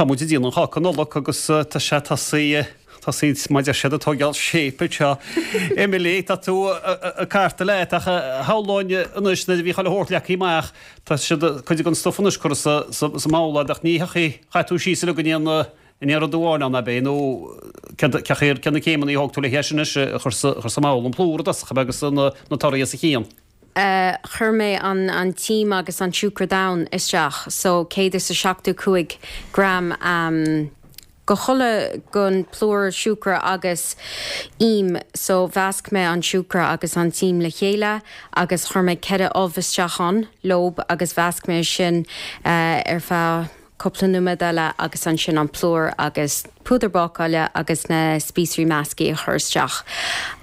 Tá muid ag déanamh an cháca Nollag agus tá sé tosaithe, tosaithe mar a deir siad ag tógáil shape anseo. Emily, tá tú ag cartadh leat ach shamhlóinn anois nuair a bhí chuile shórt leagtha amach, tá siad, cuid den stuif anois curtha sa mbabhla ach ní thiocfaidh, chaith tú síos uilig in aon in aon rud amháin ann ab é nó céard céard na céimeanna a thóg tú le hé sin anois a chur sa mbabhla, an plúr i dtosach ab ea agus na torthaí os a chionn? Chuir mé an an t-im agus an siúcra donn isteach so 175 gram go chuile gon plúr siúcra agus im so mheasc mé an siúcra agus an t-im le chéile agus chuir mé 4 ubh isteach ann leob agus mheasc mé sin ar feadh cúpla nóiméad eile agus ansin an plúr agus púdar bácáile agus na spíosraí measctha a chur isteach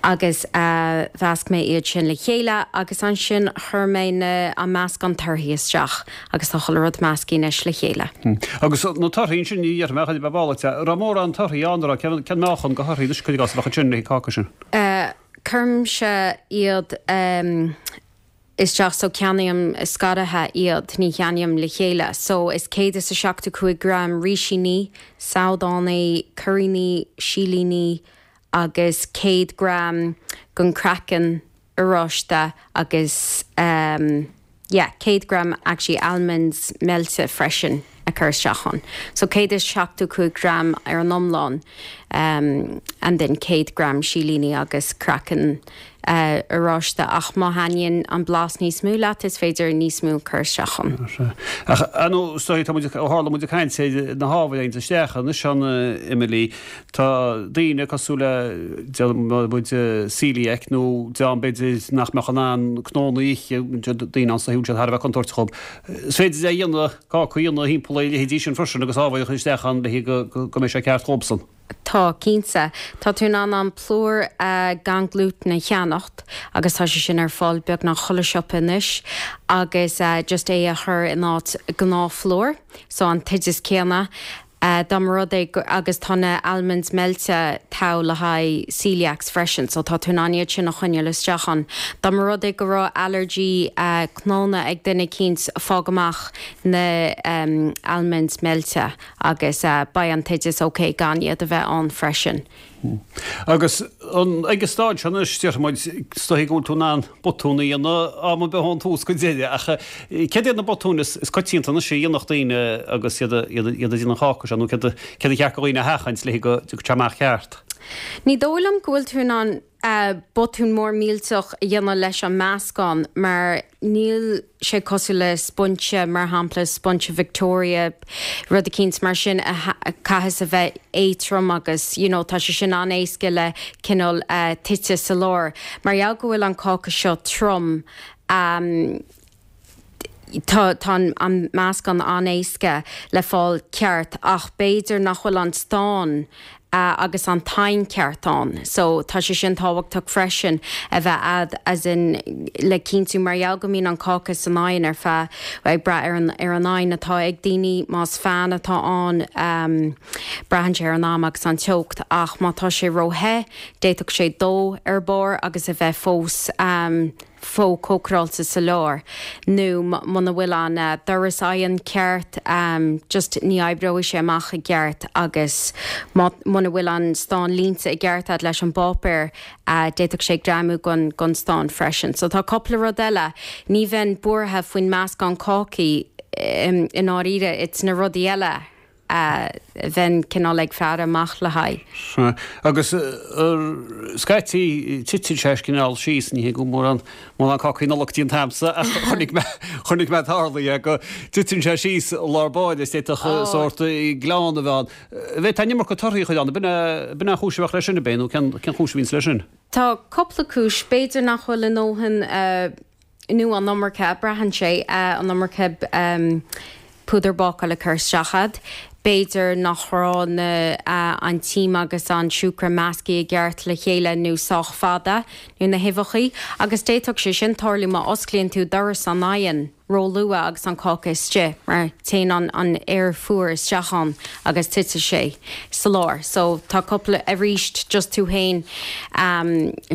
agus mheasc mé iad sin le chéile agus ansin chuir mé na an meascán torthaí isteach agus tá chuile rud measctha anois le chéile. Agus na torthaí ansin, ní dhéarfaidh mé ach a bheith bálaite, an raibh mórán torthaí ann, an raibh, cén meáchan de thorthaí anois cuir i gcás a bheadh ansin le haghaidh cáca sin? Cuirimse iad. isteach so ceannaím scartha iad, ní cheannaím le chéile. So is 175 gram rísíní, sabhdánaí, cuiríní, silíní agus 100 gram den craiceann oráiste agus ehm yeah 100 gram actually almonds meilte freisin. a chur isteach ann. So 175 gram ar an iomlán and then 100 gram silíní agus craiceann oráiste ach má thaitníonn an blas níos mó leat is féidir níos mó a chur isteach ann. Ach ar ndóigh is dóigh tá muid, ó tharla muid ag caint ar na hábhair a théann isteach anois ann Emily, tá daoine cosúil le déarfaidh muid celiac nó dream b'fhéidir nach mbeadh in ann cnónna a ithe, daoine ann is dóigh go bhfuil siad thar a bheith contúirteach dhób. Is féidir é a dhéanamh, cáca a dhéanamh thimpeall ar a leithéidí sin freisin agus ábhair a chur isteach ann le go go mbeidh sé ceart dhóibhsan. Tá, cinnte. Tá tú in ann an plúr gan glútan a cheannacht agus tá sé sin ar fáil beagnach chuile siopa anois agus just é a chur in áit gnáthphlúr, so an t-oideas céanna. Dá mba rud é go, agus tá na almonds meilte togha le haghaidh celiacs freisin, so tá tú in ann iad sin a choinneáil isteach ann. Dá mba rud é go raibh allergy cnónna ag duine eicínt, fág amach na almonds meilte agus beidh an t-oideas ok gan iad a bheith ann freisin. Agus an, ag an staid seo anois, déarfaidh muid, is dóigh go bhfuil tú in ann botún a dhéanamh am ar bith ón tús go deireadh, ach céard iad na botúin is coitianta anois a dhéanfadh daoine agus iad iad ag déanamh an cháca seo, nó céard céard a cheart do dhaoine a sheachaint le go dtiocfaidh sé amach ceart? Ní dóigh liom go bhfuil tú in ann botún mór millteach a dhéanamh leis an meascán mar níl sé cosúil le spoinse, mar shampla spoinse Victoria, rud eicínt mar sin a chaithfeas a bheith éadtrom agus you know tá sé sin an-éasca le cineál tite sa lár. Mar gheall go bhfuil an cáca seo trom, tá tá an meascán an-éasca le fáil ceart ach b'fhéidir nach bhfuil an stán agus an t-oigheann ceart ann so tá sé sin tábhachtach freisin a bheith a'd as in le cinntiú mar gheall go mbíonn an cáca san oigheann ar feadh ag brath ar an ar an oigheann atá ag daoine más fan atá ann braitheann sé ar an am agus an teocht ach má tá sé ró-the d'fhéadfadh sé dó ar barr agus a bheith fós fós cócaráilte sa lár nó muna bhfuil an doras oighinn ceart just ní oibreoidh sé amach i gceart agus má muna bhfuil an stán líonta i gceart a'd leis an bpáipéar d'fhéadfadh sé greamú gon gon stán freisin. So tá cúpla rud eile, ní bheinn buartha faoin meascán cácaí i ndáiríre, it's na rudaí eile. a bheinn cineál ag faire amach le haghaidh. Sea. Agus scaití titeann sé cineál síos, ní hé go mórán, mórán cácaí Nollag déanta a'msa ach chonaic mé, chonaic mé tarlaithe go dtiteann sé síos i lár báire is d'fhéadfadh sórt gleann a bheith ann. Bheadh an iomarca torthaí a chur ann, b'in é, b'in é an chúis a bheadh leis sin, ab é, nó cén, cén chúis a bhíonns leis sin? Tá cúpla cúis, b'fhéidir nach bhfuil a ndóthain, nó an iomarca, braitheann sé, an iomarca púdar bácála curtha isteach a'd. B'fhéidir nach raibh na, an t-im agus an siúcra measctha i gceart le chéile nó sách fada, nó na huibheachaí. Agus d'fhéadfadh sé sin tarlú má osclaíonn tú doras an oighinn. róluath agus an cáca istigh mar téann an an aer fuar isteach ann agus titeann sé sa lár. So tá cúpla, arís just tú féin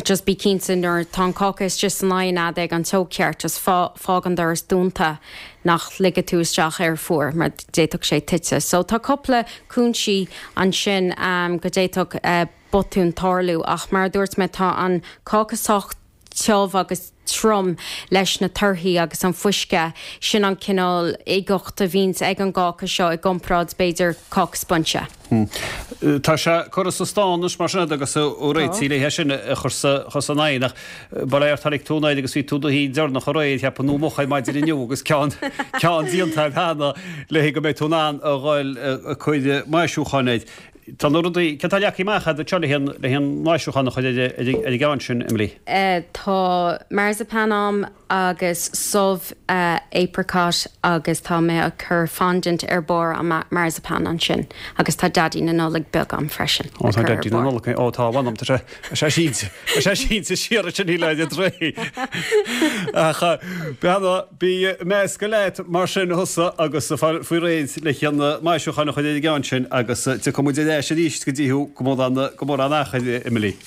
just bí cinnte nuair tá an cáca istigh san oigheann a'd ag an teocht cheart just fág an doras dúnta nach ligfidh tú isteach aer fuar mar d'fhéadfadh sé tite. So tá cúpla cúinsí ansin go d'fhéadfadh botún tarlú ach mar a dúirt mé tá an cáca sách tiubh agus trom leis na torthaí agus an fuisce, sin an cineál uigeacht a bhíonns ag an gcáca seo i gcomparáid b'fhéidir cáca spoinse. Tá sé curtha sa stán anois mar sin agat agus réitithe le é sin a chur san oigheann ach bail ó Dhia ort tháinig tú anoir agus bhí tú do shuí deireanach aréir cheapfainn nó moch ar maidin inniu agus ceann ceann déanta agat cheana le go mbeidh tú in ann a dhul ag cur maisiúcháin air. Tá na rudaí, céard atá leagtha amach agat anseo le haghaidh an maisiúchán a chur ar an gceann sin, Emily? Tá marzipan a'm agus subh apricot agus tá mé ag cur fondant ar barr an marzipan ansin agus tá Daidí na Nollag beag a'm freisin le cur ar barr. Ó tá Daidí na Nollag, ó tá, mh'anam, tá sé, tá sé sínte, tá sé sínte siar ansin níl air réidh. Ach beanna, Bí measctha leat mar sin thusa agus fáil faoi réir le haghaidh an maisiúchán a chur ar an gceann sin agus tiocfaidh muid ar ais arís go dtí thú go mórán go mórán achair, Emily.